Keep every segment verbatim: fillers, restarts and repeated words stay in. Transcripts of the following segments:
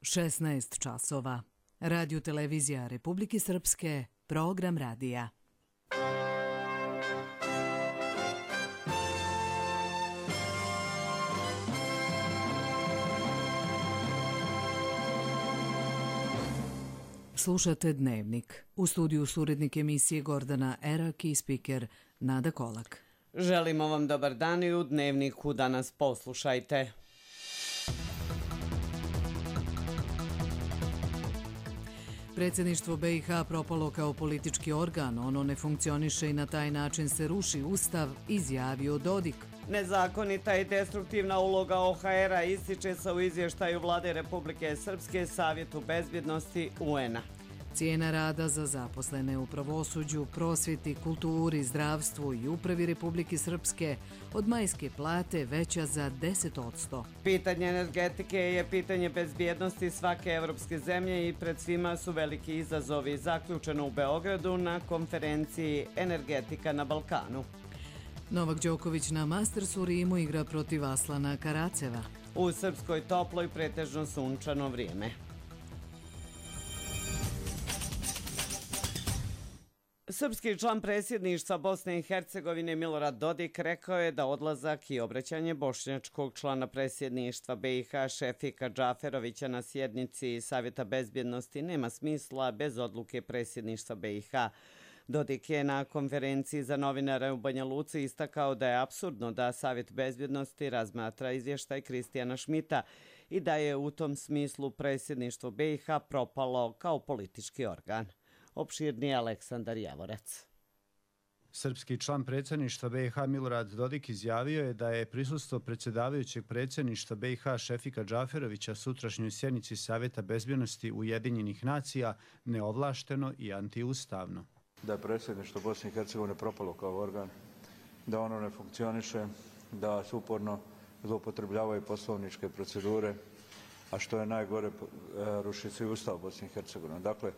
šesnaest časova. Radio televizija Republike Srpske, program radija. Slušate Dnevnik. U studiju su urednik emisije Gordana Erak i spiker Nada Kolak. Želimo vam dobar dan i u Dnevniku danas poslušajte. Predsjedništvo B i H propalo kao politički organ, ono ne funkcioniše i na taj način se ruši ustav, izjavio Dodik. Nezakonita i destruktivna uloga O H R-a ističe se u izvještaju Vlade Republike Srpske Savjetu bezbjednosti U N-a. Cijena rada za zaposlene u pravosuđu, prosvjeti, kulturi, zdravstvu i upravi Republike Srpske od majske plate veća za deset posto. Pitanje energetike je pitanje bezbjednosti svake evropske zemlje i pred svima su veliki izazovi, zaključeno u Beogradu na konferenciji Energetika na Balkanu. Novak Đoković na Mastersu u Rimu igra protiv Aslana Karaceva. U Srpskoj toplo i pretežno sunčano vrijeme. Srpski član predsjedništva Bosne i Hercegovine Milorad Dodik rekao je da odlazak i obraćanje bošnjačkog člana predsjedništva B i H Šefika Džaferovića na sjednici Savjeta bezbjednosti nema smisla bez odluke predsjedništva B i H. Dodik je na konferenciji za novinare u Banja Luci istakao da je apsurdno da Savjet bezbjednosti razmatra izvještaj Kristijana Šmita i da je u tom smislu predsjedništvo B i H propalo kao politički organ. Opširni Aleksandar Javorec. Srpski član predsjedništva B i H Milorad Dodik izjavio je da je prisustvo predsjedavajućeg predsjedništva B i H Šefika Džaferovića sutrašnjoj sjednici Savjeta bezbjednosti Ujedinjenih nacija neovlašteno i antiustavno. Da je predsjedništvo Bosne i Hercegovine propalo kao organ, da ono ne funkcioniše, da se uporno zloupotrebljavaju poslovničke procedure, a što je najgore, ruši se i Ustav Bosne i Hercegovine. Dakle,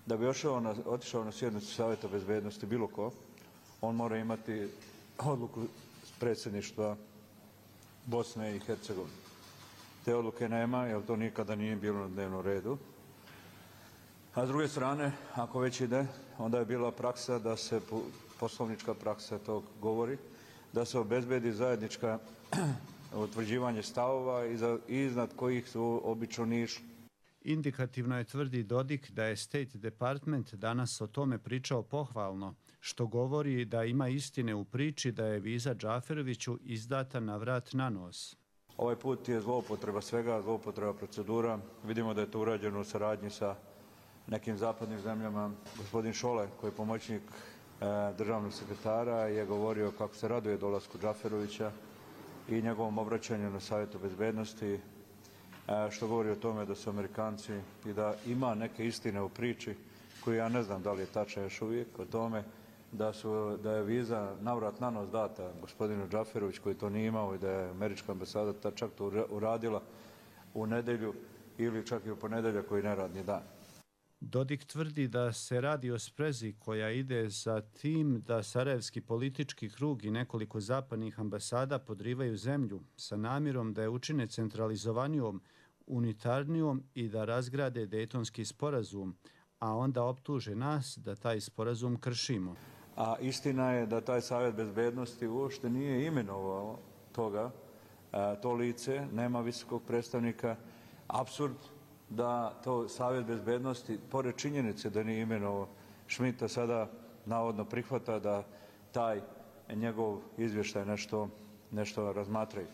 da bi otišao na, otišao na sjednicu Savjeta bezbjednosti bilo ko, on mora imati odluku predsjedništva Bosne i Hercegovine. Te odluke nema, jer to nikada nije bilo na dnevnom redu. A s druge strane, ako već ide, onda je bila praksa da se, poslovnička praksa tog govori, da se obezbedi zajednička utvrđivanje stavova iznad kojih su obično ni išli. Indikativno je, tvrdi Dodik, da je State Department danas o tome pričao pohvalno, što govori da ima istine u priči da je viza Džaferoviću izdata na vrat na nos. Ovaj put je zloupotreba svega, zloupotreba procedura. Vidimo da je to urađeno u saradnji sa nekim zapadnim zemljama. Gospodin Šole, koji je pomoćnik e, državnog sekretara, je govorio kako se raduje dolasku Džaferovića i njegovom obraćanju na Savjetu bezbjednosti, što govori o tome da su Amerikanci i da ima neke istine u priči koju ja ne znam da li je tačna još uvijek o tome da, su, da je viza navrat na nos data gospodinu Džaferović koji to nije imao i da je američka ambasada čak to uradila u nedelju ili čak i u ponedjeljak koji neradni dan. Dodik tvrdi da se radi o sprezi koja ide za tim da sarajevski politički krug i nekoliko zapadnih ambasada podrivaju zemlju sa namjerom da je učine centralizovanijom, unitarnijom i da razgrade Dejtonski sporazum, a onda optuže nas da taj sporazum kršimo. A istina je da taj Savjet bezbjednosti uopšte nije imenovao toga, to lice, nema visokog predstavnika, apsurd da to Savjet bezbjednosti, pored činjenice da nije imenovao Šmita, sada navodno prihvata da taj njegov izvještaj nešto, nešto razmatraju.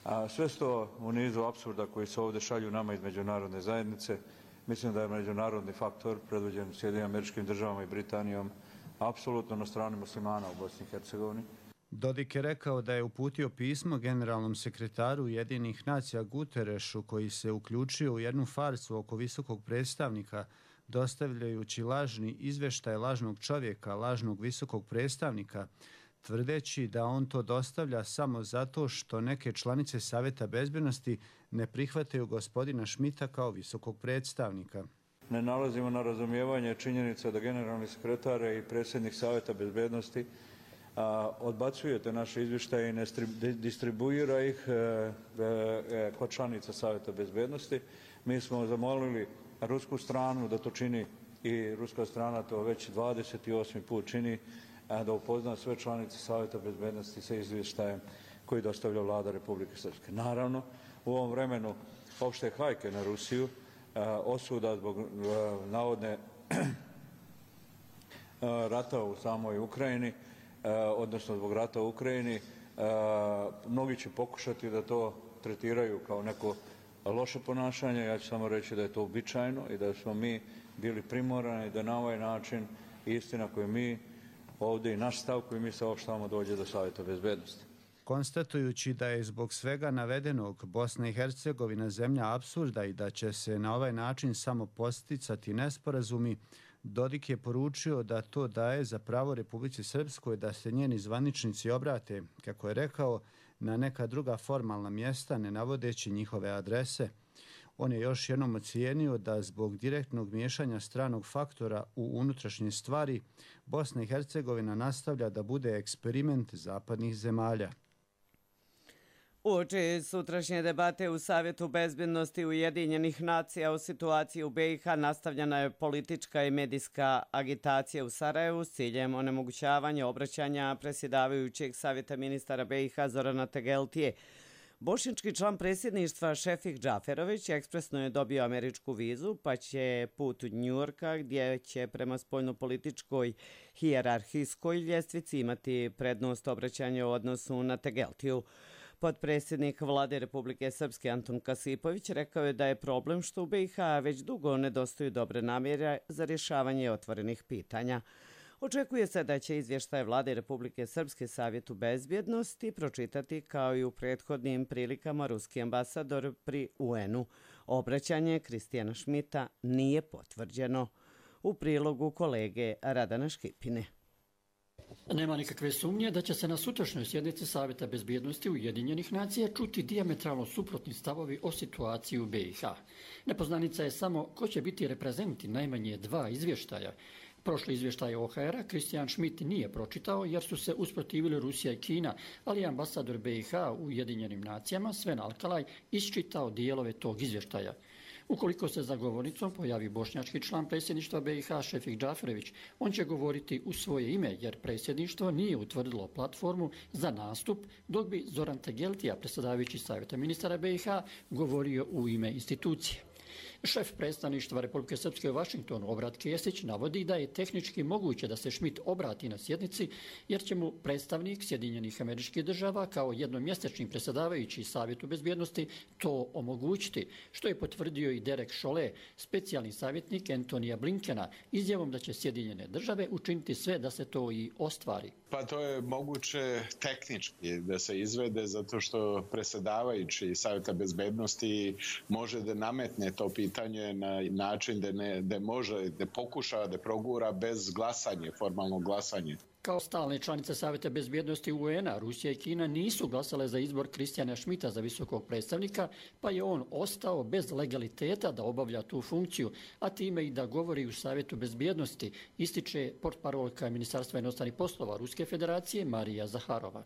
A sve to u nizu apsurda koji se ovdje šalju nama iz međunarodne zajednice, mislim da je međunarodni faktor predvođen Sjedinjenim Američkim Državama i Britanijom apsolutno na strani muslimana u Bosni i Hercegovini. Dodik je rekao da je uputio pismo generalnom sekretaru Ujedinjenih nacija Guterešu koji se uključio u jednu farsu oko visokog predstavnika dostavljajući lažni izvještaj lažnog čovjeka, lažnog visokog predstavnika, tvrdeći da on to dostavlja samo zato što neke članice Savjeta bezbjednosti ne prihvataju gospodina Šmita kao visokog predstavnika. Ne nalazimo na razumijevanje činjenica da generalni sekretar i predsjednik Savjeta bezbjednosti odbacujete naše izvještaje i ne distribuira ih kod članica Savjeta bezbednosti. Mi smo zamolili rusku stranu da to čini i ruska strana to već dvadeset osmi put čini, da upozna sve članice Savjeta bezbednosti sa izvještajem koji dostavlja vlada Republike Srpske. Naravno, u ovom vremenu opšte hajke na Rusiju, osuda zbog navodne rata u samoj Ukrajini, odnosno zbog rata u Ukrajini, mnogi će pokušati da to tretiraju kao neko loše ponašanje. Ja ću samo reći da je to uobičajeno i da smo mi bili primorani da na ovaj način istina koju mi ovdje i naš stav koji mi saopštavamo dođe do Savjeta bezbednosti. Konstatujući da je zbog svega navedenog Bosna i Hercegovina zemlja apsurda i da će se na ovaj način samo posticati nesporazumi, Dodik je poručio da to daje za pravo Republici Srpskoj da se njeni zvaničnici obrate, kako je rekao, na neka druga formalna mjesta, ne navodeći njihove adrese. On je još jednom ocijenio da zbog direktnog miješanja stranog faktora u unutrašnje stvari Bosna i Hercegovina nastavlja da bude eksperiment zapadnih zemalja. Uoči sutrašnje debate u Savjetu bezbednosti Ujedinjenih nacija o situaciji u B i H nastavljena je politička i medijska agitacija u Sarajevu s ciljem onemogućavanja obraćanja predsjedavajućeg Savjeta ministara B i H Zorana Tegeltije. Bošnjački član predsjedništva Šefik Džaferović ekspresno je dobio američku vizu, pa će put u Njujorka, gdje će prema spoljnopolitičkoj hijerarhijskoj ljestvici imati prednost obraćanja u odnosu na Tegeltiju. Potpredsjednik vlade Republike Srpske Antun Kasipović rekao je da je problem što u B i H već dugo nedostaju dobre namjere za rješavanje otvorenih pitanja. Očekuje se da će izvještaj vlade Republike Srpske Savjetu bezbjednosti pročitati kao i u prethodnim prilikama ruski ambasador pri U N-u. Obraćanje Kristijana Šmita nije potvrđeno. U prilogu kolege Radana Škipine. Nema nikakve sumnje da će se na sutrašnjoj sjednici Savjeta bezbjednosti Ujedinjenih nacija čuti dijametralno suprotni stavovi o situaciji u B i H. Nepoznanica je samo ko će biti reprezenti najmanje dva izvještaja. Prošli izvještaj O H R-a Kristijan Šmit nije pročitao jer su se usprotivili Rusija i Kina, ali je ambasador B i H u Ujedinjenim nacijama Sven Alkalaj isčitao dijelove tog izvještaja. Ukoliko se za govornicom pojavi bošnjački član predsjedništva B i H Šefik Džaferović, on će govoriti u svoje ime jer predsjedništvo nije utvrdilo platformu za nastup, dok bi Zoran Tegeltija, predsjedavajući Savjeta ministara B i H, govorio u ime institucije. Šef predstavništva Republike Srpske u Vašingtonu, Obrat Kesić, navodi da je tehnički moguće da se Šmit obrati na sjednici, jer će mu predstavnik Sjedinjenih Američkih Država kao jednomjesečni predsjedavajući Savjetu bezbjednosti to omogućiti, što je potvrdio i Derek Chollet, specijalni savjetnik Antonija Blinkena, izjavom da će Sjedinjene Države učiniti sve da se to i ostvari. Pa to je moguće tehnički da se izvede zato što predsjedavajući Savjeta bezbjednosti može da nametne to pitanje na način da, ne, da može, da pokuša da progura bez glasanja, formalnog glasanja. Kao stalne članice Savjeta bezbjednosti U N-a, Rusija i Kina nisu glasale za izbor Kristijana Šmita za visokog predstavnika, pa je on ostao bez legaliteta da obavlja tu funkciju, a time i da govori u Savjetu bezbjednosti, ističe portparolka Ministarstva inostranih poslova Ruske federacije Marija Zaharova.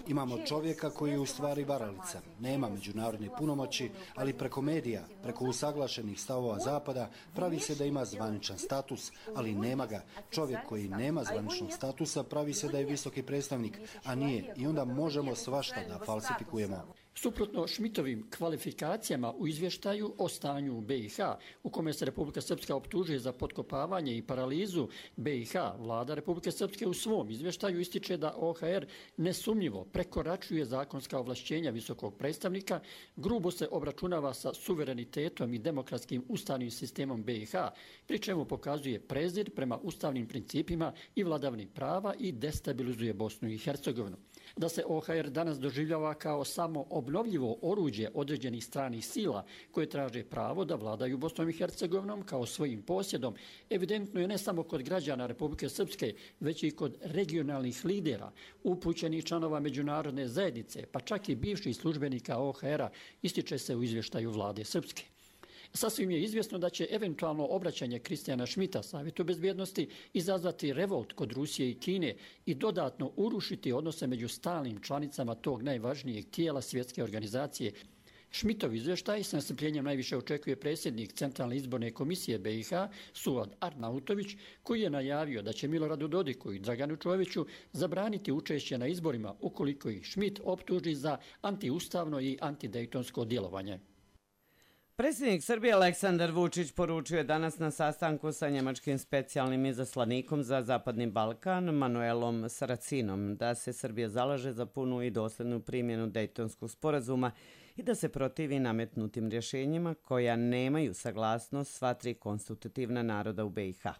Imamo čovjeka koji je u stvari varalica. Nema međunarodne punomoći, ali preko medija, preko usaglašenih stavova Zapada, pravi se da ima zvaničan status, ali nema ga. Čovjek koji nema zvaničnog statusa pravi se da je visoki predstavnik, a nije. I onda možemo svašta da falsifikujemo. Suprotno Šmitovim kvalifikacijama u izvještaju o stanju u B i H, u kome se Republika Srpska optužuje za potkopavanje i paralizu B i H, vlada Republike Srpske u svom izvještaju ističe da O H R nesumnjivo prekoračuje zakonska ovlašćenja visokog predstavnika, grubo se obračunava sa suverenitetom i demokratskim ustavnim sistemom B i H, pri čemu pokazuje prezir prema ustavnim principima i vladavini prava i destabilizuje Bosnu i Hercegovinu. Da se O H R danas doživljava kao samo obnovljivo oruđe određenih stranih sila koje traže pravo da vladaju Bosnom i Hercegovinom kao svojim posjedom, evidentno je ne samo kod građana Republike Srpske, već i kod regionalnih lidera, upućenih članova međunarodne zajednice, pa čak i bivših službenika O H R-a, ističe se u izvještaju vlade Srpske. Sasvim je izvjesno da će eventualno obraćanje Kristijana Šmita Savjetu bezbjednosti izazvati revolt kod Rusije i Kine i dodatno urušiti odnose među stalnim članicama tog najvažnijeg tijela svjetske organizacije. Šmitov izvještaj s nestrpljenjem najviše očekuje predsjednik Centralne izborne komisije B i H Suad Arnautović, koji je najavio da će Miloradu Dodiku i Draganu Čoviću zabraniti učešće na izborima ukoliko ih Šmit optuži za antiustavno i antidejtonsko djelovanje. Predsjednik Srbije Aleksandar Vučić poručio je danas na sastanku sa njemačkim specijalnim izaslanikom za Zapadni Balkan Manuelom Saracinom da se Srbija zalaže za punu i doslednu primjenu Dejtonskog sporazuma i da se protivi nametnutim rješenjima koja nemaju saglasnost sva tri konstitutivna naroda u B i H.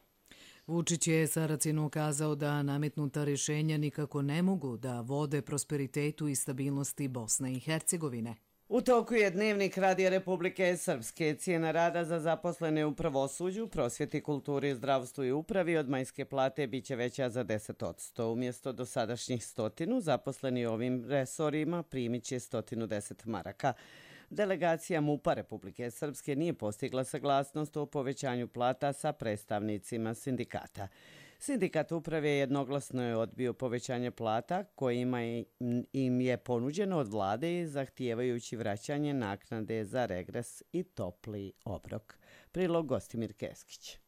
Vučić je Saracinu ukazao da nametnuta rješenja nikako ne mogu da vode prosperitetu i stabilnosti Bosne i Hercegovine. U toku je Dnevnik Radija Republike Srpske. Cijena rada za zaposlene u pravosuđu, prosvjeti, kulturi, zdravstvu i upravi od majske plate biće veća za deset posto. Umjesto dosadašnjih stotinu, zaposleni u ovim resorima primit će sto deset maraka. Delegacija MUP-a Republike Srpske nije postigla saglasnost o povećanju plata sa predstavnicima sindikata. Sindikat uprave jednoglasno je odbio povećanje plata kojima im je ponuđeno od vlade zahtijevajući vraćanje naknade za regres i topli obrok. Prilog Gostimir Keskić.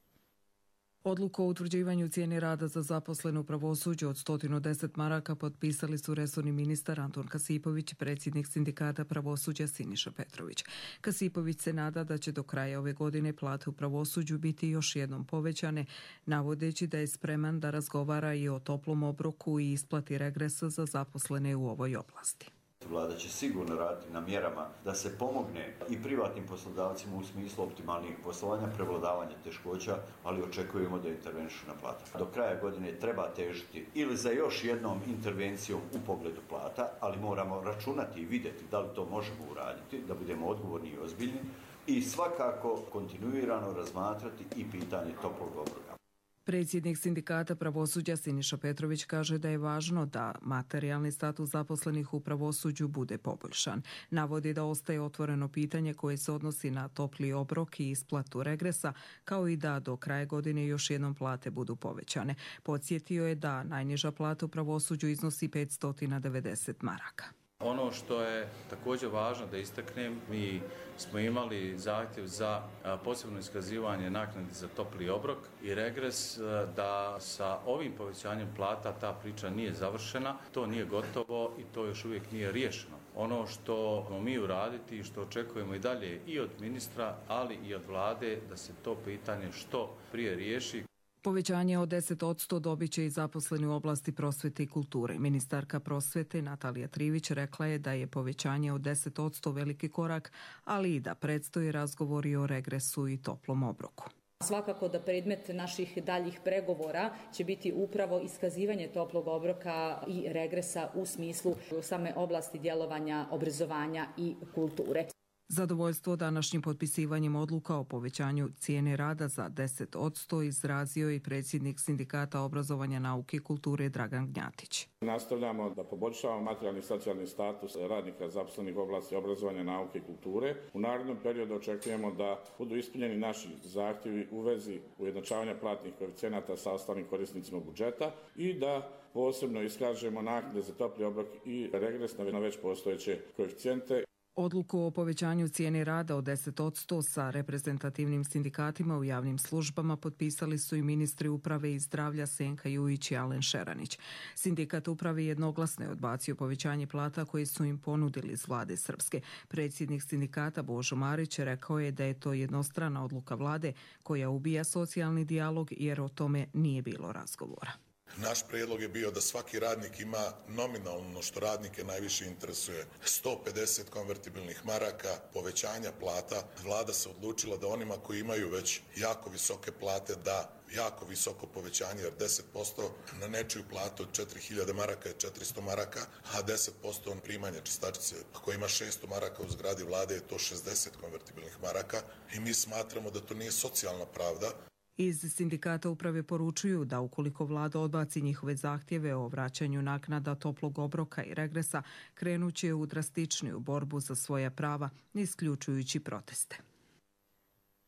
Odluku o utvrđivanju cijene rada za zaposlene u pravosuđu od sto deset maraka potpisali su resorni ministar Anton Kasipović i predsjednik sindikata pravosuđa Siniša Petrović. Kasipović se nada da će do kraja ove godine plate u pravosuđu biti još jednom povećane, navodeći da je spreman da razgovara i o toplom obroku i isplati regresa za zaposlene u ovoj oblasti. Vlada će sigurno raditi na mjerama da se pomogne i privatnim poslodavcima u smislu optimalnijeg poslovanja, prevladavanja teškoća, ali očekujemo da intervenišu na plata. Do kraja godine treba težiti ili za još jednom intervencijom u pogledu plata, ali moramo računati i vidjeti da li to možemo uraditi, da budemo odgovorni i ozbiljni i svakako kontinuirano razmatrati i pitanje toplog obroka. Predsjednik sindikata pravosuđa Siniša Petrović kaže da je važno da materijalni status zaposlenih u pravosuđu bude poboljšan. Navodi da ostaje otvoreno pitanje koje se odnosi na topli obrok i isplatu regresa, kao i da do kraja godine još jednom plate budu povećane. Podsjetio je da najniža plata u pravosuđu iznosi petsto devedeset maraka. Ono što je također važno da istaknem, mi smo imali zahtjev za posebno iskazivanje naknade za topli obrok i regres, da sa ovim povećanjem plata ta priča nije završena, to nije gotovo i to još uvijek nije riješeno. Ono što ćemo mi uraditi i što očekujemo i dalje i od ministra, ali i od vlade, da se to pitanje što prije riješi. Povećanje od deset posto dobit će i zaposleni u oblasti prosvete i kulture. Ministarka prosvete Natalija Trivić rekla je da je povećanje od deset posto veliki korak, ali i da predstoji razgovori o regresu i toplom obroku. Svakako da predmet naših daljih pregovora će biti upravo iskazivanje toplog obroka i regresa u smislu same oblasti djelovanja, obrazovanja i kulture. Zadovoljstvo današnjim potpisivanjem odluka o povećanju cijene rada za deset posto izrazio i predsjednik sindikata obrazovanja, nauke i kulture Dragan Gnjatić. Nastavljamo da poboljšavamo materijalni i socijalni status radnika zaposlenih u oblasti obrazovanja, nauke i kulture. U narednom periodu očekujemo da budu ispunjeni naši zahtjevi u vezi ujednačavanja platnih koeficijenata sa ostalim korisnicima budžeta i da posebno iskažemo naknade za topli obrok i regres na već postojeće koeficijente. Odluku o povećanju cijene rada od deset posto sa reprezentativnim sindikatima u javnim službama potpisali su i ministri uprave i zdravlja Senka Jujić i Alen Šeranić. Sindikat uprave jednoglasno je odbacio povećanje plata koje su im ponudili iz vlade Srpske. Predsjednik sindikata Božo Marić rekao je da je to jednostrana odluka vlade koja ubija socijalni dijalog jer o tome nije bilo razgovora. Naš prijedlog je bio da svaki radnik ima nominalno što radnike najviše interesuje sto pedeset konvertibilnih maraka povećanja plata. Vlada se odlučila da onima koji imaju već jako visoke plate da jako visoko povećanje, jer deset posto na nečiju platu od četiri hiljade maraka je četiristo maraka, a deset posto on primanja čistačice ako ima šesto maraka u zgradi vlade je to šezdeset konvertibilnih maraka i mi smatramo da to nije socijalna pravda. Iz sindikata uprave poručuju da ukoliko vlada odbaci njihove zahtjeve o vraćanju naknada toplog obroka i regresa, krenuće u drastičniju borbu za svoja prava, isključujući proteste.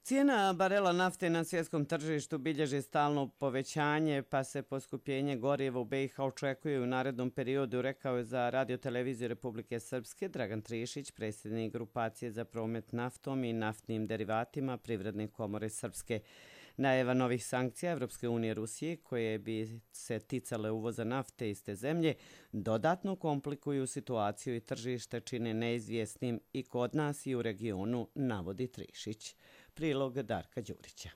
Cijena barela nafte na svjetskom tržištu bilježi stalno povećanje, pa se poskupljenje goriva u B i H očekuje u narednom periodu, rekao je za Radio-televiziju Republike Srpske Dragan Trišić, predsjednik grupacije za promet naftom i naftnim derivatima Privredne komore Srpske. Najava novih sankcija Evropske unije Rusije, koje bi se ticale uvoza nafte iz te zemlje, dodatno komplikuju situaciju i tržište čine neizvjesnim i kod nas i u regionu, navodi Trišić. Prilog Darka Đurića.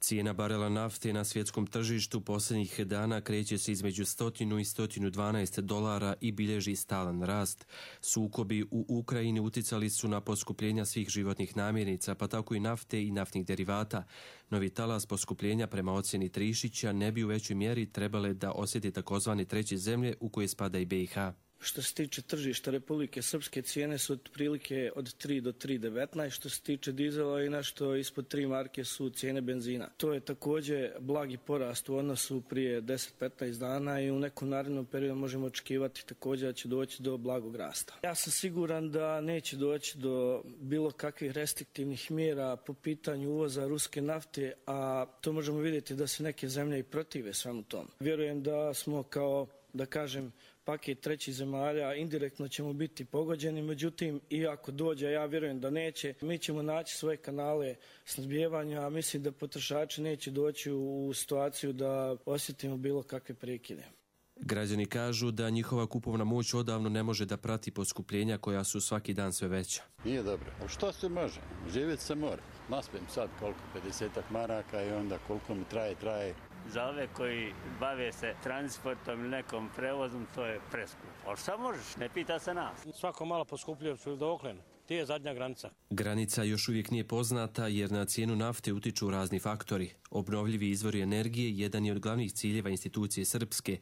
Cijena barela nafte na svjetskom tržištu posljednjih dana kreće se između sto i sto dvanaest dolara i bilježi stalan rast. Sukobi u Ukrajini uticali su na poskupljenja svih životnih namirnica, pa tako i nafte i naftnih derivata. Novi talas poskupljenja prema ocjeni Trišića ne bi u većoj mjeri trebale da osjeti takozvane treće zemlje u koje spada i B i H. Što se tiče tržišta Republike Srpske, cijene su otprilike od tri do tri devetnaest. Što se tiče dizela i nešto ispod tri marke su cijene benzina. To je također blagi porast u odnosu prije deset do petnaest dana i u nekom narednom periodu možemo očekivati također da će doći do blagog rasta. Ja sam siguran da neće doći do bilo kakvih restriktivnih mjera po pitanju uvoza ruske nafte, a to možemo vidjeti da se neke zemlje i protive svemu tomu. Vjerujem da smo kao, da kažem, paket trećih zemalja, indirektno ćemo biti pogođeni, međutim, i ako dođe, ja vjerujem da neće, mi ćemo naći svoje kanale snabdijevanja, a mislim da potrošači neće doći u situaciju da osjetimo bilo kakve prekide. Građani kažu da njihova kupovna moć odavno ne može da prati poskupljenja koja su svaki dan sve veća. Nije dobro. A što se može? Živjeti se mora. Naspijem sad koliko, pedesetak maraka i onda koliko mi traje, traje. Za ove koji bave se transportom ili nekom prevozom, to je preskupo. Ali šta možeš, ne pita se nas. Svako malo poskupljuje su doklen. Ti je zadnja granica. Granica još uvijek nije poznata jer na cijenu nafte utiču razni faktori. Obnovljivi izvori energije jedan je od glavnih ciljeva institucije Srpske.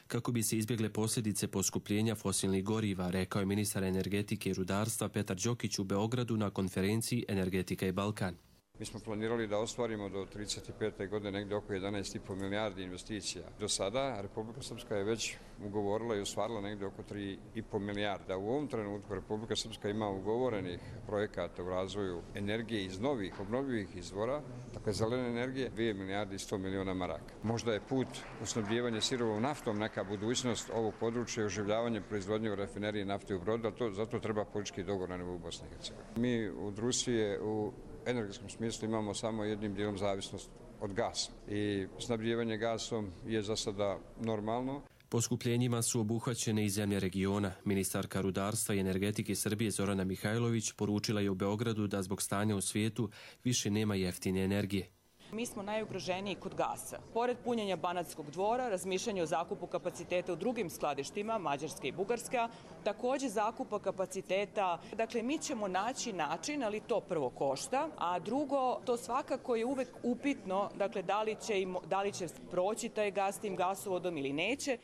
Kako bi se izbjegle posljedice poskupljenja fosilnih goriva, rekao je ministar energetike i rudarstva Petar Đokić u Beogradu na konferenciji Energetika i Balkan. Mi smo planirali da ostvarimo do trideset pete. godine negdje oko jedanaest i po milijardi investicija. Do sada Republika Srpska je već ugovorila i ostvarila negdje oko tri i po milijarda. U ovom trenutku Republika Srpska ima ugovorenih projekata u razvoju energije iz novih obnovljivih izvora, dakle zelene energije, dvije milijarde i sto miliona maraka. Možda je put u snabdijevanje sirovom naftom neka budućnost ovog područja i oživljavanje proizvodnje u rafineriji nafte u Brodu, ali to, zato treba politički dogovor na nivou Bosne i Hercegovine. Mi od Rusije u energetskom smislu imamo samo jednim dijelom zavisnost od gasa i snabdijevanje gasom je za sada normalno. Poskupljenjima su obuhvaćene i zemlje regiona. Ministarka rudarstva i energetike Srbije Zorana Mihajlović poručila je u Beogradu da zbog stanja u svijetu više nema jeftine energije. Mi smo najugroženiji kod gasa. Pored punjenja Banatskog dvora, razmišljanje o zakupu kapaciteta u drugim skladištima, Mađarska i Bugarska, također zakupa kapaciteta. Dakle, mi ćemo naći način, ali to prvo košta, a drugo, to svakako je uvek upitno, dakle, da li će, im, da li će proći taj gas tim gasovodom ili neće.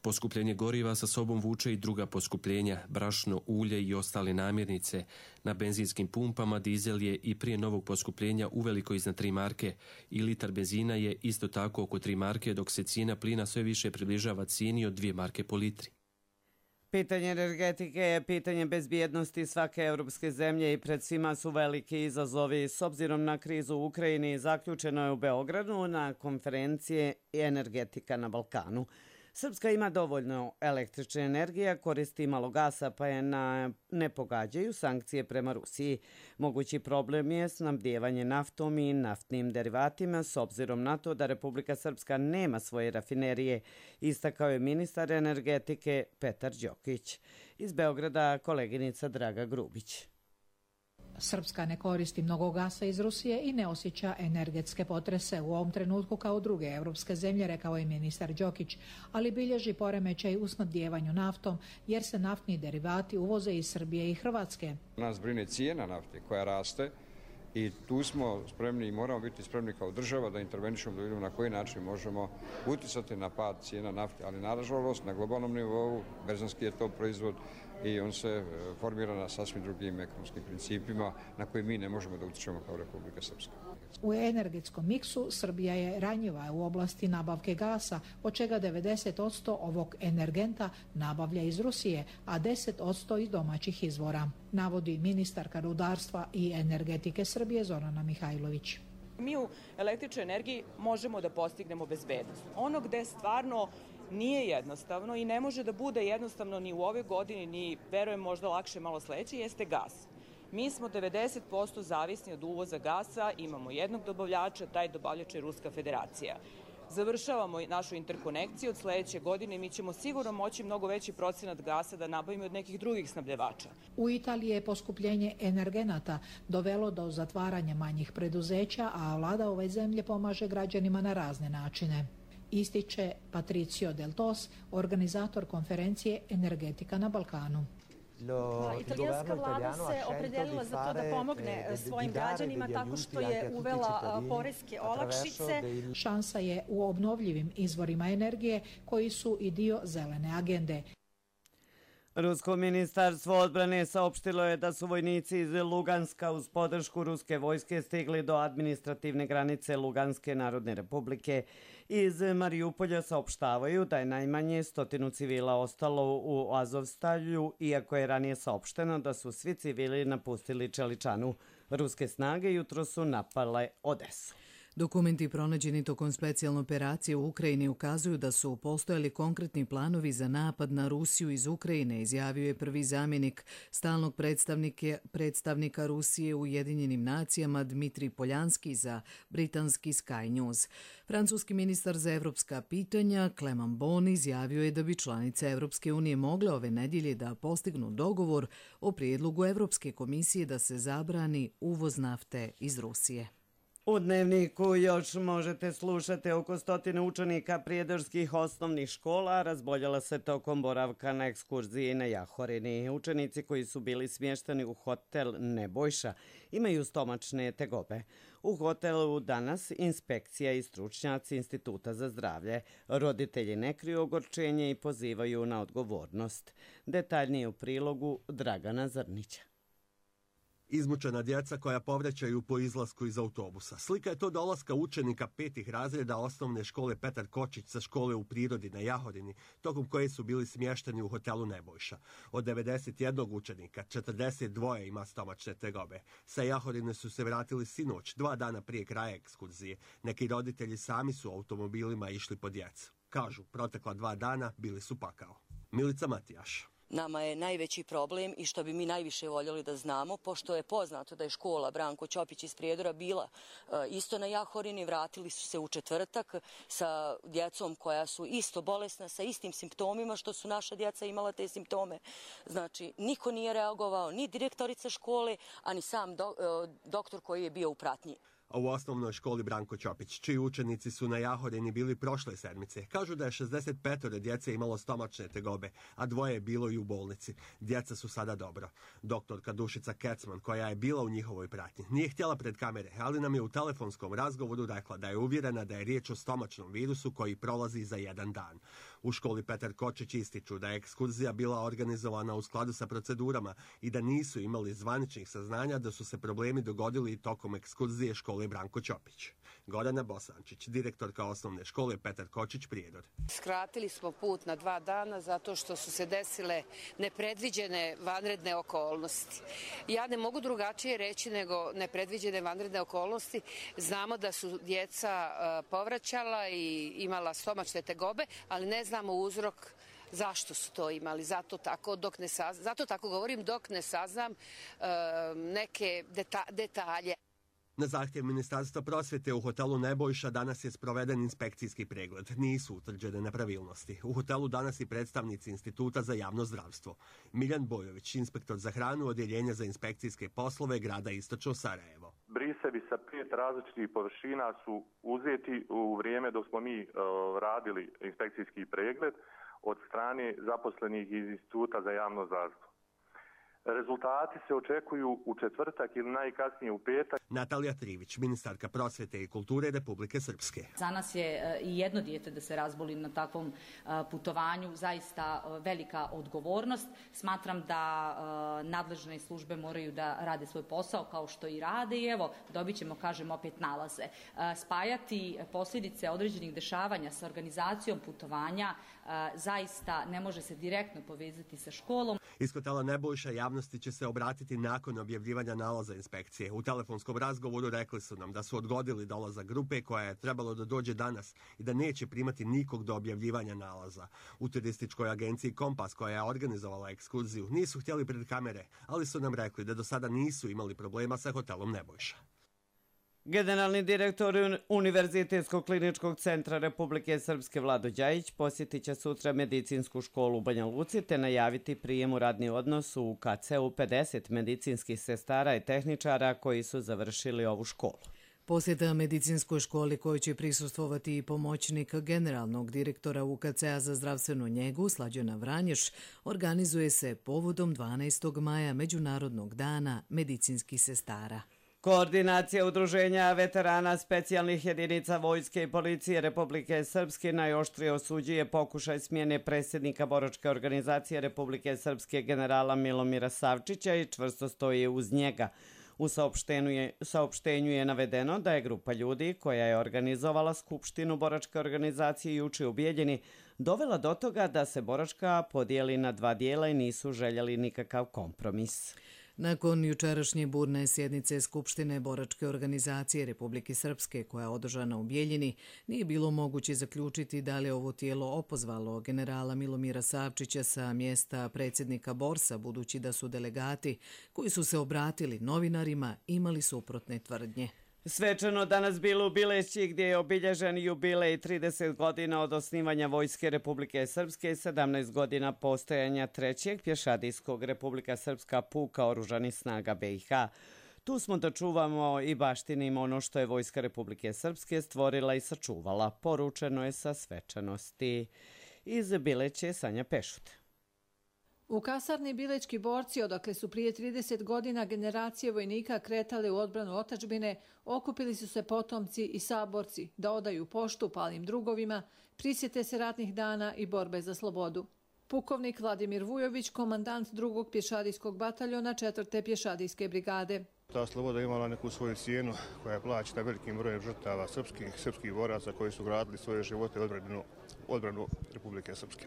Poskupljenje goriva sa sobom vuče i druga poskupljenja, brašno, ulje i ostale namirnice. Na benzinskim pumpama dizel je i prije novog poskupljenja uveliko iznad tri marke i litar benzina je isto tako oko tri marke, dok se cijena plina sve više približava cijeni od dvije marke po litri. Pitanje energetike je pitanje bezbjednosti svake europske zemlje i pred svima su veliki izazovi. S obzirom na krizu u Ukrajini, zaključeno je u Beogradu na konferencije Energetika na Balkanu. Srpska ima dovoljno električne energije, koristi malo gasa, pa je na, ne pogađaju sankcije prema Rusiji. Mogući problem je snabdijevanje naftom i naftnim derivatima s obzirom na to da Republika Srpska nema svoje rafinerije, istakao je ministar energetike Petar Đokić. Iz Beograda koleginica Draga Grubić. Srpska ne koristi mnogo gasa iz Rusije i ne osjeća energetske potrese u ovom trenutku kao druge evropske zemlje, rekao je ministar Đokić, ali bilježi poremećaj u snabdijevanju naftom jer se naftni derivati uvoze iz Srbije i Hrvatske. Nas brine cijena nafte koja raste i tu smo spremni i moramo biti spremni kao država da intervenišemo, da vidimo na koji način možemo uticati na pad cijena nafte, ali nažalost na globalnom nivou, berzanski je to proizvod, i on se formira na sasvim drugim ekonomskim principima na koje mi ne možemo da utičemo kao Republika Srpska. U energetskom miksu Srbija je ranjiva u oblasti nabavke gasa, od čega devedeset posto ovog energenta nabavlja iz Rusije, a deset posto iz domaćih izvora, navodi ministarka rudarstva i energetike Srbije Zorana Mihajlović. Mi u električnoj energiji možemo da postignemo bezbednost. Ono gde stvarno nije jednostavno i ne može da bude jednostavno ni u ovoj godini, ni verujem možda lakše malo sledeće, jeste gas. Mi smo devedeset posto zavisni od uvoza gasa, imamo jednog dobavljača, taj dobavljač je Ruska federacija. Završavamo našu interkonekciju, od sledeće godine mi ćemo sigurno moći mnogo veći procenat gasa da nabavimo od nekih drugih snabdevača. U Italiji je poskupljenje energenata dovelo do zatvaranja manjih preduzeća, a vlada ove zemlje pomaže građanima na razne načine. Ističe Patricio Del Tos, organizator konferencije Energetika na Balkanu. Italijanska vlada se opredelila za to da pomogne svojim građanima tako što je uvela poreske olakšice. Šansa je u obnovljivim izvorima energije koji su i dio zelene agende. Rusko ministarstvo odbrane saopštilo je da su vojnici iz Luganska uz podršku ruske vojske stigli do administrativne granice Luganske narodne republike. Iz Marijupolja saopštavaju da je najmanje stotinu civila ostalo u Azovstalju, iako je ranije saopšteno da su svi civili napustili Čeličanu. Ruske snage jutro su napale Odesu. Dokumenti pronađeni tokom specijalne operacije u Ukrajini ukazuju da su postojali konkretni planovi za napad na Rusiju iz Ukrajine, izjavio je prvi zamjenik stalnog predstavnika Rusije u Ujedinjenim nacijama Dmitrij Poljanski za britanski Sky News. Francuski ministar za evropska pitanja Clement Bon izjavio je da bi članice Evropske unije mogle ove nedjelje da postignu dogovor o prijedlogu Evropske komisije da se zabrani uvoz nafte iz Rusije. U Dnevniku još možete slušati oko stotine učenika prijedorskih osnovnih škola razboljela se tokom boravka na ekskurziji na Jahorini. Učenici koji su bili smješteni u hotel Nebojša imaju stomačne tegobe. U hotelu danas inspekcija i stručnjaci Instituta za zdravlje. Roditelji ne kriju ogorčenje i pozivaju na odgovornost. Detaljnije u prilogu Dragana Zrnića. Izmučena djeca koja povraćaju po izlasku iz autobusa. Slika je to dolaska učenika petih razreda osnovne škole Petar Kočić sa škole u prirodi na Jahorini, tokom koje su bili smješteni u hotelu Nebojša. Od devedeset jednog učenika, četrdeset dva ima stomačne tegobe. Sa Jahorine su se vratili sinoć, dva dana prije kraja ekskurzije. Neki roditelji sami su automobilima išli po djecu. Kažu, protekla dva dana bili su pakao. Milica Matijaš. Nama je najveći problem i što bi mi najviše voljeli da znamo, pošto je poznato da je škola Branko Ćopić iz Prijedora bila isto na Jahorini, vratili su se u četvrtak sa djecom koja su isto bolesna, sa istim simptomima što su naša djeca imala te simptome. Znači, niko nije reagovao, ni direktorica škole, ani sam do, doktor koji je bio u pratnji. A u osnovnoj školi Branko Ćopić, čiji učenici su na Jahorini bili prošle sedmice, kažu da je šezdeset pet djece imalo stomačne tegobe, a dvoje je bilo i u bolnici. Djeca su sada dobro. Doktorka Dušica Kecman, koja je bila u njihovoj pratnji, nije htjela pred kamere, ali nam je u telefonskom razgovoru rekla da je uvjerena da je riječ o stomačnom virusu koji prolazi za jedan dan. U školi Petar Kočić ističu da je ekskurzija bila organizovana u skladu sa procedurama i da nisu imali zvaničnih saznanja da su se problemi dogodili tokom ekskurzije škole Branko Ćopić. Gorana Bosančić, direktorka osnovne škole Petar Kočić Prijedor. Skratili smo put na dva dana zato što su se desile nepredviđene vanredne okolnosti. Ja ne mogu drugačije reći nego nepredviđene vanredne okolnosti. Znamo da su djeca povraćala i imala stomačne tegobe, ali ne znamo uzrok zašto su to imali. Zato tako, dok ne saznam, zato tako govorim dok ne saznam uh, neke deta, detalje. Na zahtjev Ministarstva prosvjete u hotelu Nebojša danas je sproveden inspekcijski pregled. Nisu utvrđene nepravilnosti. U hotelu danas i predstavnici Instituta za javno zdravstvo. Miljan Bojović, inspektor za hranu, odjeljenja za inspekcijske poslove grada Istočno Sarajevo. Brisevi sa pet različitih površina su uzeti u vrijeme dok smo mi uh, radili inspekcijski pregled od strane zaposlenih iz Instituta za javno zdravstvo. Rezultati se očekuju u četvrtak ili najkasnije u petak. Natalija Trivić, ministarka prosvete i kulture Republike Srpske. Za nas je i jedno dijete da se razboli na takvom putovanju zaista velika odgovornost. Smatram da nadležne službe moraju da rade svoj posao kao što i rade i evo dobit ćemo, kažem, opet nalaze. Spajati posljedice određenih dešavanja sa organizacijom putovanja zaista ne može se direktno povezati sa školom. Iz hotela Nebojša javnosti će se obratiti nakon objavljivanja nalaza inspekcije. U telefonskom razgovoru rekli su nam da su odgodili dolazak grupe koja je trebalo da dođe danas i da neće primati nikog do objavljivanja nalaza. U turističkoj agenciji Kompas, koja je organizovala ekskurziju, nisu htjeli pred kamere, ali su nam rekli da do sada nisu imali problema sa hotelom Nebojša. Generalni direktor Univerzitetskog kliničkog centra Republike Srpske Vlado Đajić posjetit će sutra medicinsku školu u Banja Luci te najaviti prijem u radni odnos u K C U pedeset medicinskih sestara i tehničara koji su završili ovu školu. Posjeta medicinskoj školi koju će prisustvovati i pomoćnik generalnog direktora U K C-a za zdravstvenu njegu Slađana Vranješ organizuje se povodom dvanaestog maja Međunarodnog dana medicinskih sestara. Koordinacija udruženja veterana specijalnih jedinica Vojske i policije Republike Srpske najoštrije osuđuje pokušaj smjene predsjednika boračke organizacije Republike Srpske generala Milomira Savčića i čvrsto stoji uz njega. U saopštenju je, saopštenju je navedeno da je grupa ljudi koja je organizovala skupštinu boračke organizacije juče u Bijeljini dovela do toga da se boračka podijeli na dva dijela i nisu željeli nikakav kompromis. Nakon jučerašnje burne sjednice Skupštine boračke organizacije Republike Srpske koja je održana u Bijeljini, nije bilo moguće zaključiti da li je ovo tijelo opozvalo generala Milomira Savčića sa mjesta predsjednika Borsa, budući da su delegati koji su se obratili novinarima imali suprotne tvrdnje. Svečano danas bilo u Bileći gdje je obilježen jubilej trideset godina od osnivanja Vojske Republike Srpske i sedamnaest godina postojanja trećeg pješadijskog Republika Srpska puka oružanih snaga B i H. Tu smo da čuvamo i baštinimo ono što je Vojska Republike Srpske stvorila i sačuvala. Poručeno je sa svečanosti. Iz Bileće Sanja Pešut. U kasarni Bilečki borci, odakle su prije trideset godina generacije vojnika kretale u odbranu otadžbine, okupili su se potomci i saborci da odaju poštu palim drugovima, prisjete se ratnih dana i borbe za slobodu. Pukovnik Vladimir Vujović, komandant drugog pješadijskog bataljona četvrte pješadijske brigade. Ta sloboda imala neku svoju cijenu koja je plaćena velikim brojem žrtava srpskih, srpskih boraca koji su gradili svoje živote odbranu, odbranu Republike Srpske.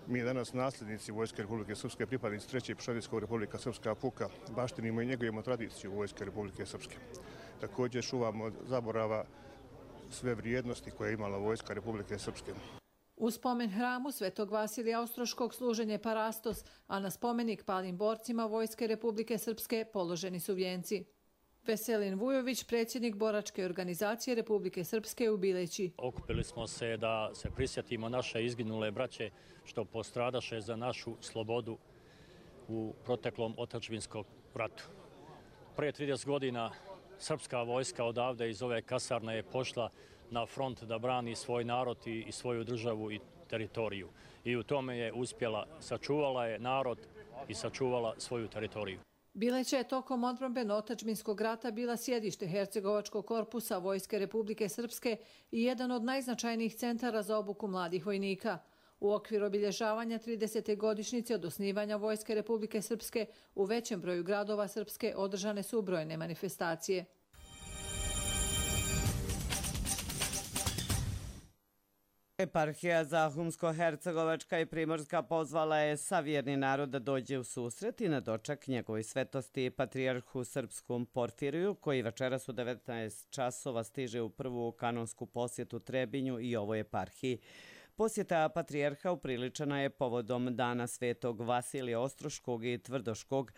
Mi danas nasljednici Vojske Republike Srpske, pripadnici trećeg pješadijskog Republika Srpska puka, baštinimo i njegujemo tradiciju Vojske Republike Srpske. Također čuvamo zaborava sve vrijednosti koje je imala Vojska Republike Srpske. U spomen hramu Svetog Vasilija Ostroškog služen je parastos, a na spomenik palim borcima Vojske Republike Srpske položeni su vijenci. Veselin Vujović, predsjednik boračke organizacije Republike Srpske u Bileći. Okupili smo se da se prisjetimo naše izginule braće što postradaše za našu slobodu u proteklom otadžbinskom ratu. Prije trideset godina srpska vojska odavde iz ove kasarne je pošla na front da brani svoj narod i svoju državu i teritoriju. I u tome je uspjela, sačuvala je narod i sačuvala svoju teritoriju. Bileća je tokom odbrambeno-otadžbinskog rata bila sjedište Hercegovačkog korpusa Vojske Republike Srpske i jedan od najznačajnijih centara za obuku mladih vojnika. U okviru obilježavanja tridesete godišnjice od osnivanja Vojske Republike Srpske u većem broju gradova Srpske održane su brojne manifestacije. Eparhija Zahumsko-Hercegovačka i Primorska pozvala je savjerni narod da dođe u susret i na dočak njegovoj svetosti patrijarhu srpskom Porfiriju, koji večeras u devetnaest časova stiže u prvu kanonsku posjetu Trebinju i ovoj eparhiji. Posjeta patrijarha upriličena je povodom dana Svetog Vasilija Ostroškog i Tvrdoškog,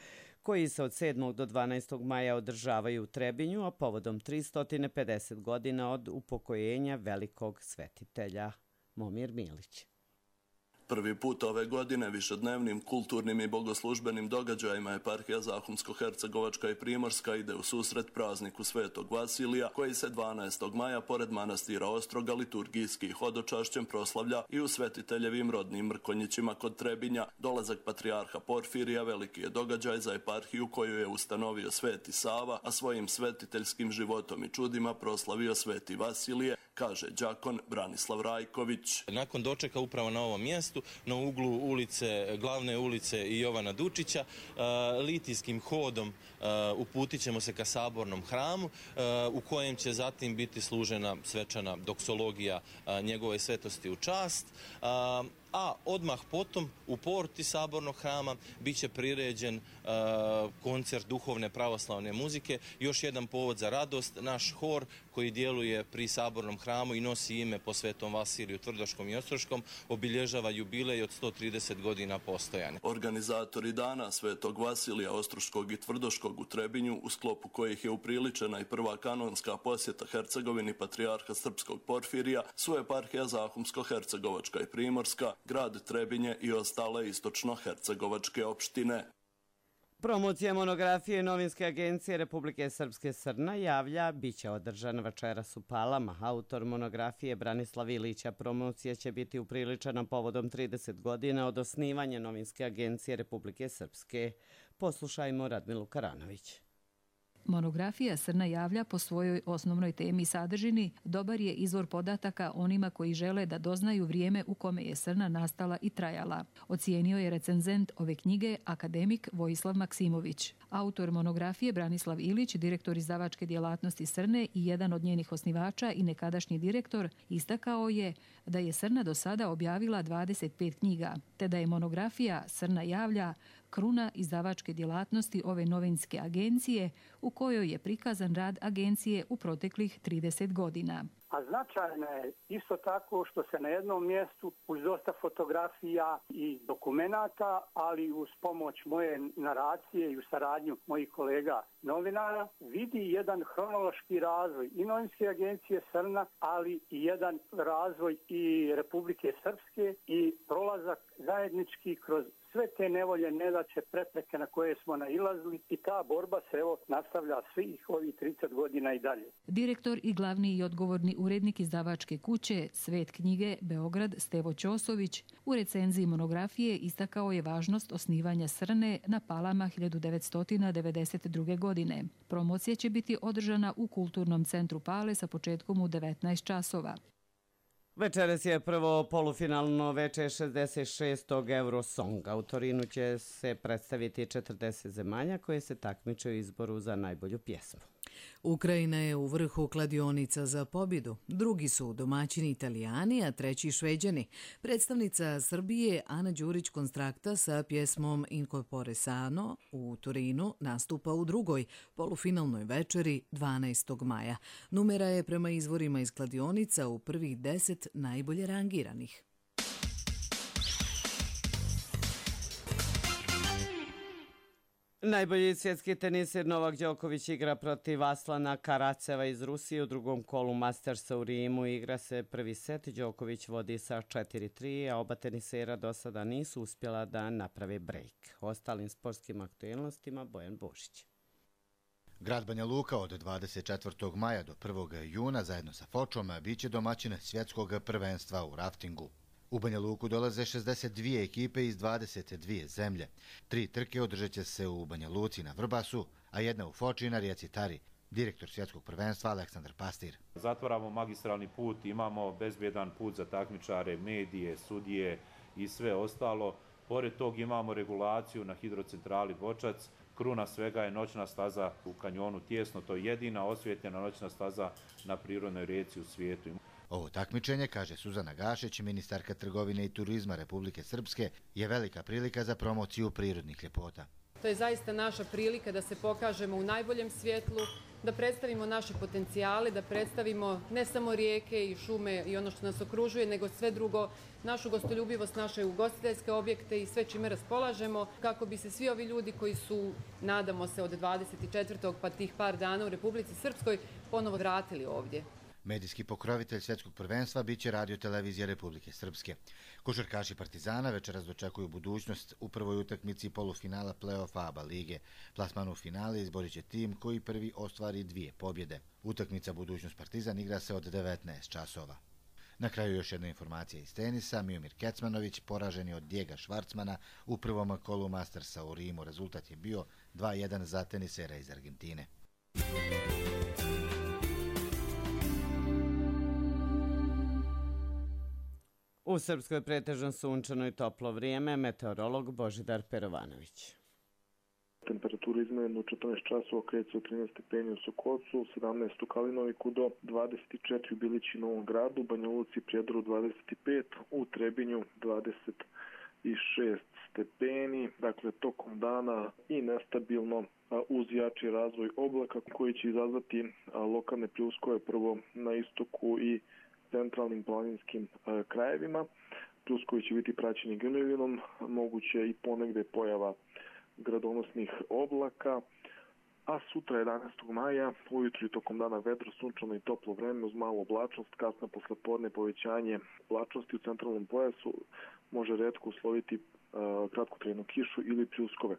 koji se od sedmog do dvanaestog maja održavaju u Trebinju, a povodom tristo pedeset godina od upokojenja velikog svetitelja. Momir Milić. Prvi put ove godine višednevnim kulturnim i bogoslužbenim događajima eparhija Zahumsko-Hercegovačka i Primorska ide u susret prazniku Svetog Vasilija, koji se dvanaestog maja pored manastira Ostroga liturgijski hodočašćem proslavlja i u Svetiteljevim rodnim Mrkonjićima kod Trebinja. Dolazak patrijarha Porfirija veliki je događaj za eparhiju koju je ustanovio Sveti Sava, a svojim svetiteljskim životom i čudima proslavio Sveti Vasilije, kaže đakon Branislav Rajković. Nakon dočeka upravo na ovom mjestu, na uglu ulice, glavne ulice i Jovana Dučića, litijskim hodom uputit ćemo se ka sabornom hramu, u kojem će zatim biti služena svečana doksologija njegove svetosti u čast, a odmah potom u porti sabornog hrama bit će priređen uh, koncert duhovne pravoslavne muzike. Još jedan povod za radost, naš hor koji djeluje pri sabornom hramu i nosi ime po Svetom Vasiliju Tvrdoškom i Ostroškom obilježava jubilej od sto trideset godina postojanja. Organizatori dana Svetog Vasilija Ostroškog i Tvrdoškog u Trebinju, u sklopu kojih je upriličena i prva kanonska posjeta Hercegovini patrijarha srpskog Porfirija, su eparhija Zahumsko-Hercegovačka i Primorska, grad Trebinje i ostale istočno-hercegovačke opštine. Promocija monografije novinske agencije Republike Srpske Srna javlja biće održana večeras u Palama. Autor monografije Branislav Ilića. Promocija će biti upriličena povodom trideset godina od osnivanja novinske agencije Republike Srpske. Poslušajmo Radmilu Karanović. Monografija Srna javlja po svojoj osnovnoj temi i sadržini dobar je izvor podataka onima koji žele da doznaju vrijeme u kome je Srna nastala i trajala. Ocijenio je recenzent ove knjige akademik Vojislav Maksimović. Autor monografije Branislav Ilić, direktor izdavačke djelatnosti Srne i jedan od njenih osnivača i nekadašnji direktor, istakao je da je Srna do sada objavila dvadeset pet knjiga, te da je monografija Srna javlja kruna izdavačke djelatnosti ove novinske agencije u kojoj je prikazan rad agencije u proteklih trideset godina. A značajno je isto tako što se na jednom mjestu uz dosta fotografija i dokumenata, ali uz pomoć moje naracije i u saradnju mojih kolega novinara, vidi jedan hronološki razvoj i novinske agencije Srna, ali i jedan razvoj i Republike Srpske i prolazak zajednički kroz sve te nevolje, nedaće, prepreke na koje smo nailazili i ta borba se evo nastavlja svih ovih trideset godina i dalje. Direktor i glavni i odgovorni urednik izdavačke kuće Svet knjige Beograd Stevo Ćosović u recenziji monografije istakao je važnost osnivanja Srne na Palama hiljadu devetsto devedeset druge. godine. Promocija će biti održana u Kulturnom centru Pale sa početkom u devetnaest časova. Večeras je prvo polufinalno veče šezdeset šestog Eurosonga. U Torinu će se predstaviti četrdeset zemalja koje se takmiče u izboru za najbolju pjesmu. Ukrajina je u vrhu kladionica za pobjedu. Drugi su domaćini Italijani, a treći Šveđani. Predstavnica Srbije Ana Đurić Konstrakta sa pjesmom Incorpore Sano u Torinu nastupa u drugoj polufinalnoj večeri dvanaestog maja. Numera je prema izvorima iz kladionica u prvih deset najbolje rangiranih. Najbolji svjetski tenisir Novak Đoković igra protiv Aslana Karaceva iz Rusije u drugom kolu Mastersa u Rimu. Igra se prvi set, Đoković vodi sa četiri tri, a oba tenisera do sada nisu uspjela da naprave brejk. Ostalim sportskim aktualnostima Bojan Božić. Grad Banja Luka od dvadeset četvrtog maja do prvog juna zajedno sa Fočom biće domaćin svjetskog prvenstva u raftingu. U Banja Luku dolaze šezdeset dvije ekipe iz dvadeset dvije zemlje. Tri trke održat će se u Banja Luci na Vrbasu, a jedna u Foči i na rijeci Tari. Direktor svjetskog prvenstva Aleksandar Pastir. Zatvaramo magistralni put, imamo bezbjedan put za takmičare, medije, sudije i sve ostalo. Pored tog imamo regulaciju na hidrocentrali Vočac. Kruna svega je noćna staza u kanjonu Tijesno, to je jedina osvjetljena noćna staza na prirodnoj rijeci u svijetu. Ovo takmičenje, kaže Suzana Gašić, ministarka trgovine i turizma Republike Srpske, je velika prilika za promociju prirodnih ljepota. To je zaista naša prilika da se pokažemo u najboljem svjetlu, da predstavimo naše potencijale, da predstavimo ne samo rijeke i šume i ono što nas okružuje, nego sve drugo, našu gostoljubivost, naše ugostiteljske objekte i sve čime raspolažemo, kako bi se svi ovi ljudi koji su, nadamo se, od dvadeset četvrtog pa tih par dana u Republici Srpskoj ponovo vratili ovdje. Medijski pokrovitelj svjetskog prvenstva biće Radio televizija Republike Srpske. Košarkaši Partizana večeras dočekuju budućnost u prvoj utakmici polufinala play-offa A B A lige. Plasman u finale izborit će tim koji prvi ostvari dvije pobjede. Utakmica Budućnost Partizan igra se od devetnaest časova. Na kraju još jedna informacija iz tenisa. Miomir Kecmanović poražen je od Dijega Švarcmana u prvom kolu Mastersa u Rimu. Rezultat je bio dva jedan za tenisera iz Argentine. U Srpskoj pretežno sunčano i toplo vrijeme, meteorolog Božidar Perovanović. Temperatura izmerena u četrnaest časova kreće od trinaest stepeni u Sokocu, sedamnaest u Kalinoviku do dvadeset četiri u Bilići i Novom Gradu, Banja Luci i Prijedoru dvadeset pet, u Trebinju dvadeset šest stepeni, dakle tokom dana i nestabilno uz jači razvoj oblaka koji će izazvati lokalne pljuskove prvo na istoku i centralnim planinskim e, krajevima. Pljuskovi će biti praćeni grmljavinom, moguće i ponegde pojava gradonosnih oblaka, a sutra jedanaestog maja ujutru i tokom dana vedro, sunčano i toplo vreme uz malu oblačnost, kasno poslepodne povećanje oblačnosti u centralnom pojasu, može retko usloviti e, kratkotrajnu kišu ili pljuskove.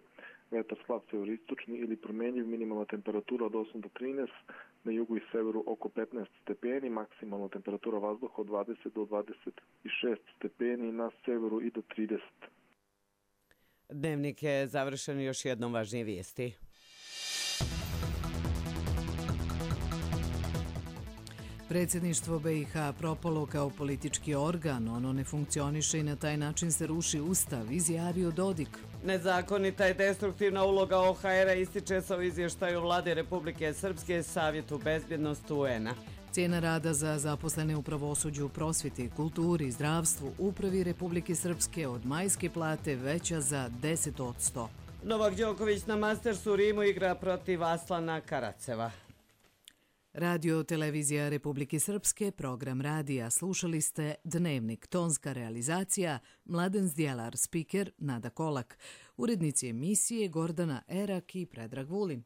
Vetar slab severistočni ili promenjiv, minimalna temperatura od osam do trinaest, na jugu i severu oko petnaest stepeni, maksimalna temperatura vazduha od dvadeset do dvadeset šest stepeni, na severu i do trideset. Dnevnik je završen, još jednom važnije vijesti. Predsjedništvo B i H propalo kao politički organ, ono ne funkcioniše i na taj način se ruši ustav, izjavio Dodik. Nezakonita i destruktivna uloga O H R-a ističe se u izvještaju Vlade Republike Srpske Savjetu bezbjednosti U N-a. Cijena rada za zaposlene u pravosuđu, prosvjeti, kulturi, zdravstvu, upravi Republike Srpske od majske plate veća za deset posto. Novak Đoković na Mastersu u Rimu igra protiv Aslana Karaceva. Radio televizija Republike Srpske, program radija. Slušali ste Dnevnik, tonska realizacija, Mladen Zdjelar, spiker Nada Kolak, urednici emisije Gordana Erak i Predrag Vulin.